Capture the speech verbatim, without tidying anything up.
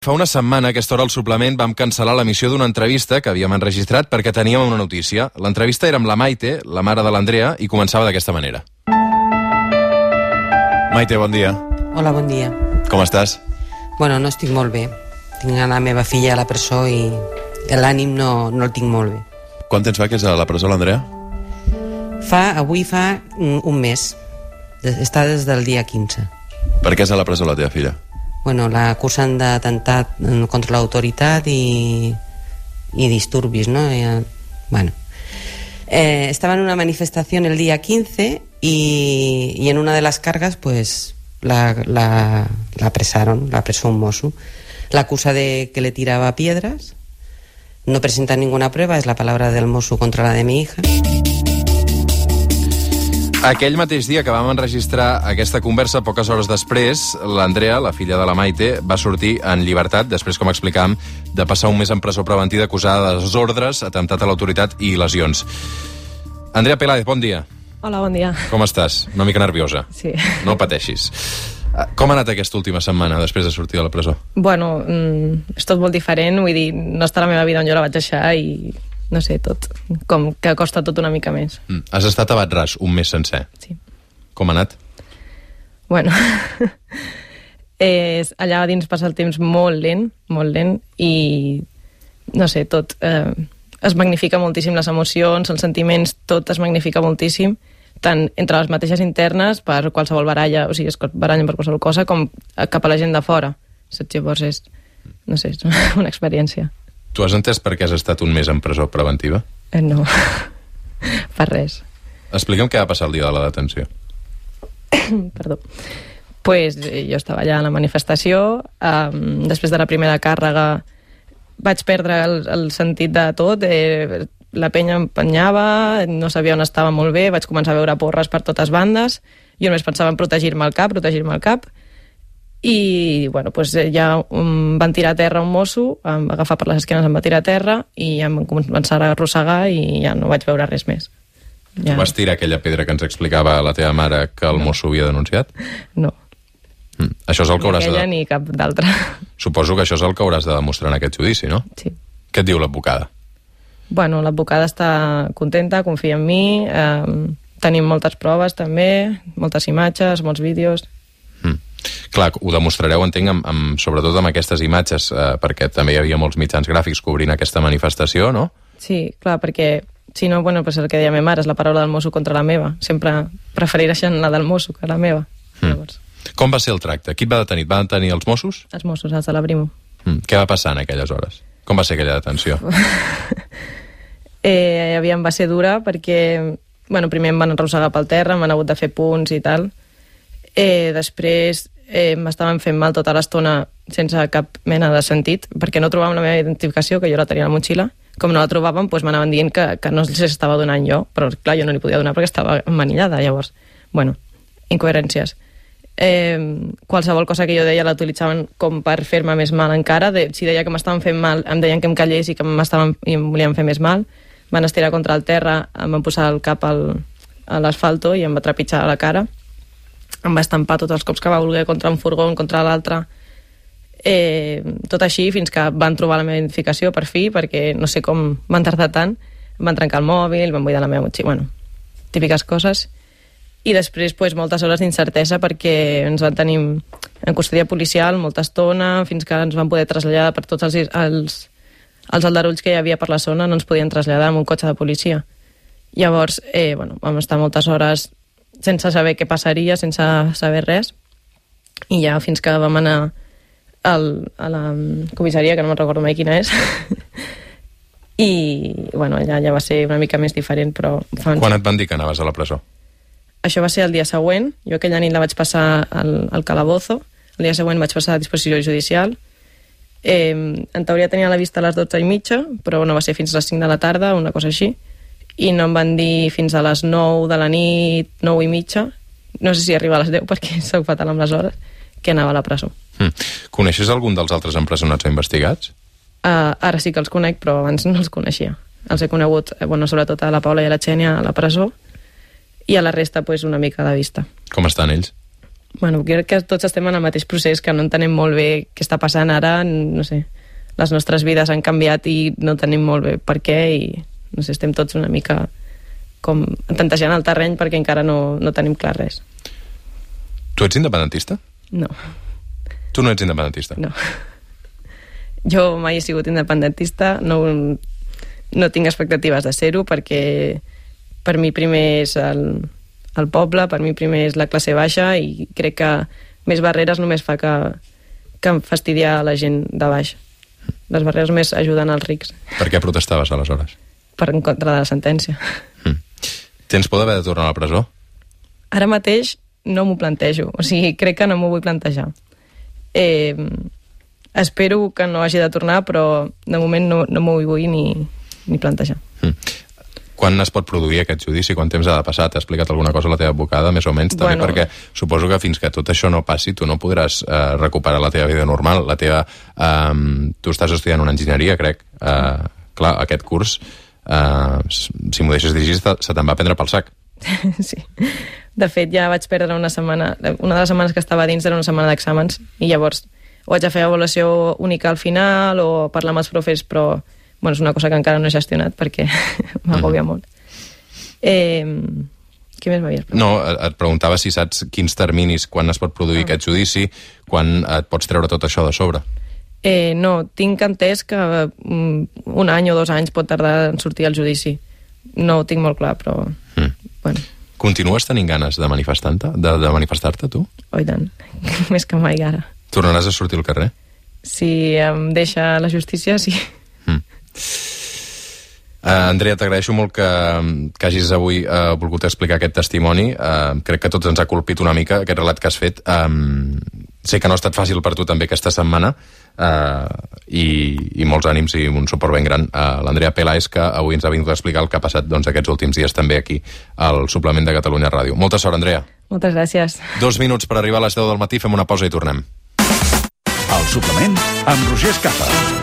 Fa una setmana, a aquesta hora, al suplement, vam cancel·lar l'emissió d'una entrevista que havíem enregistrat perquè teníem una notícia. L'entrevista era amb la Maite, la mare de l'Andrea, i començava d'aquesta manera. Maite, bon dia. Hola, bon dia. Com estàs? Bueno, no estic molt bé. Tinc la meva filla a la presó i l'ànim no, no el tinc molt bé. Quant temps fa que és a la presó, l'Andrea? Fa, avui fa un mes. Està des del dia quinze. Per què és a la presó la teva filla? Bueno, l'acusen d'atemptat contra l'autoritat i, i disturbis, ¿no? Eh, bueno. Eh, estaba en una manifestación el día quince y, y en una de las cargas, pues, la, la, la apresaron, la apresó un mosso. La acusa de que le tiraba piedras. No presenta ninguna prueba, es la palabra del mosso contra la de mi hija. Aquell mateix dia que vam enregistrar aquesta conversa, poques hores després, l'Andrea, la filla de la Maite, va sortir en llibertat, després, com explicàvem, de passar un mes en presó preventiva acusada de desordres, atemptat a l'autoritat i lesions. Andrea Peláez, bon dia. Hola, bon dia. Com estàs? Una mica nerviosa. Sí. No pateixis. Com ha anat aquesta última setmana després de sortir de la presó? Bueno, mm, és tot molt diferent, vull dir, no està la meva vida on jo la vaig deixar i... no sé, tot, com que costa tot una mica més. Mm. Has estat a Bat-ras un mes sencer. Sí. Com ha anat? Bueno, és, allà dins passa el temps molt lent, molt lent, i no sé, tot eh, es magnifica moltíssim, les emocions, els sentiments, tot es magnifica moltíssim, tant entre les mateixes internes, per qualsevol baralla, o sigui, es barallen per qualsevol cosa, com cap a la gent de fora. Saps? Llavors és, no sé, és una experiència. Tu has entès per què has estat un mes en presó preventiva? Eh, no, per res. Explica'm què va passar el dia de la detenció. Perdó. Pues jo estava allà a la manifestació, um, després de la primera càrrega vaig perdre el, el sentit de tot, eh, la penya empenyava, no sabia on estava molt bé, vaig començar a veure porres per totes bandes, jo només pensava en protegir-me el cap, protegir-me el cap, i bueno, pues ja um, van tirar a terra un mosso, em va agafar per les esquenes, em va tirar a terra i em van començar a arrossegar i ja no vaig veure res més. Ja. Tu vas tirar aquella pedra que ens explicava la teva mare que el no. mosso havia denunciat? No. Mm. Això és el que ni hauràs aquella de... ni cap d'altra. Suposo que això és el que hauràs de demostrar en aquest judici, no? Sí. Què et diu l'advocada? Bueno, l'advocada està contenta, confia en mi, eh, tenim moltes proves també, moltes imatges, molts vídeos... Mm. Clar, ho demostrareu, entenc, amb, amb, sobretot amb aquestes imatges, eh, perquè també hi havia molts mitjans gràfics cobrint aquesta manifestació, no? Sí, clar, perquè si no, bueno, pues el que deia la meva mare és la paraula del mosso contra la meva. Sempre prefereixen la del mosso que la meva. Mm. Llavors. Com va ser el tracte? Qui et va detenir? Et van detenir els Mossos? Els Mossos, els de la Brimo. Mm. Què va passar en aquelles hores? Com va ser aquella detenció? eh, aviam, va ser dura perquè, bueno, primer em van arrossegar pel terra, m'han hagut de fer punts i tal. Eh, després eh, m'estaven fent mal tota l'estona sense cap mena de sentit, perquè no trobàvem la meva identificació, que jo la tenia a la motxilla. Com no la trobàvem, doncs m'anaven dient que, que no se estava donant jo, però clar, jo no li podia donar perquè estava emmanillada, llavors. Bueno, incoherències. Eh, qualsevol cosa que jo deia la utilitzaven com per fer-me més mal encara. De, si deia que m'estaven fent mal, em deien que em callés i que m'estaven i em volien fer més mal. Van estirar contra el terra, em van posar el cap al, a l'asfalto i em va trepitjar a la cara. Em va estampar tots els cops que va voler contra un furgó, contra l'altre. Eh, tot així fins que van trobar la meva identificació per fi, perquè no sé com van tardar tant. Em van trencar el mòbil, van buidar la meva motxilla, bueno, típiques coses. I després pues, moltes hores d'incertesa perquè ens van tenir en custòdia policial molta estona, fins que ens van poder traslladar per tots els, els, els aldarulls que hi havia per la zona, no ens podien traslladar amb un cotxe de policia. Llavors, eh, bueno, vam estar moltes hores sense saber què passaria, sense saber res, i ja fins que vam anar al, a la comissaria, que no me'n recordo mai quina és, i bueno, allà ja va ser una mica més diferent, però... Fa Quan et van dir que anaves a la presó? Això va ser el dia següent, jo aquella nit la vaig passar al, al calabozo, el dia següent vaig passar a disposició judicial, eh, en teoria tenia la vista a les dotze i mitja, però no va ser fins a les cinc de la tarda, una cosa així, i no em van dir fins a les nou de la nit, nou i mitja, no sé si arriba a les deu perquè soc fatal amb les hores, que anava a la presó. Mm. Coneixes algun dels altres empresonats o investigats? Uh, ara sí que els conec, però abans no els coneixia. Els he conegut, eh, bueno, sobretot a la Paula i a la Xènia a la presó, i a la resta pues, una mica de vista. Com estan ells? Bueno, crec que tots estem en el mateix procés, que no entenem molt bé què està passant ara, no sé, les nostres vides han canviat i no tenim molt bé per què i, no sé, estem tots una mica com tantejant el terreny perquè encara no, no tenim clar res. Tu ets independentista? No. Tu no ets independentista? No. Jo mai he sigut independentista, no, no tinc expectatives de ser-ho perquè per mi primer és el, el poble, per mi primer és la classe baixa i crec que més barreres només fa que, que fastidiar la gent de baix. Les barreres més ajuden als rics. Per què protestaves aleshores? Per en contra de la sentència. Mm. Tens por d'haver de tornar a la presó? Ara mateix no m'ho plantejo, o sigui, crec que no m'ho vull plantejar. Eh, espero que no hagi de tornar, però de moment no, no m'ho vull ni, ni plantejar. Mm. Quan es pot produir aquest judici? Quant temps ha de passar? T'ha explicat alguna cosa la teva advocada, més o menys? També bueno, perquè suposo que fins que tot això no passi tu no podràs eh, recuperar la teva vida normal. La teva, eh, tu estàs estudiant una enginyeria, crec. Eh, clar, aquest curs, eh, si m'ho deixes dirigir, se te'n va prendre pel sac. Sí. De fet, ja vaig perdre una setmana... Una de les setmanes que estava dins era una setmana d'exàmens i llavors o haig de fer avaluació única al final o parlar amb els profes, però bueno, és una cosa que encara no he gestionat perquè m'agòbia mm. molt. Eh, què més m'havies preguntat? No, et preguntava si saps quins terminis, quan es pot produir ah. aquest judici, quan et pots treure tot això de sobre. Eh, no, tinc entès que um, un any o dos anys pot tardar en sortir el judici. No ho tinc molt clar, però... Mm. Bueno. Continues tenint ganes de manifestar-te, de, de manifestar-te, tu? Oh, i tant. Més que mai ara. Tornaràs a sortir al carrer? Si em deixa la justícia, sí. Mm. Uh, Andrea, t'agraeixo molt que, que hagis avui uh, volgut explicar aquest testimoni. Uh, crec que tots ens ha colpit una mica aquest relat que has fet. Um, sé que no ha estat fàcil per tu també aquesta setmana uh, i, i molts ànims i un suport ben gran a l'Andrea Peláez, que avui ens ha vingut a explicar el que ha passat doncs, aquests últims dies també aquí al Suplement de Catalunya Ràdio. Molta sort, Andrea. Moltes gràcies. Dos minuts per arribar a les deu del matí, fem una pausa i tornem. El Suplement amb Roger Escapa.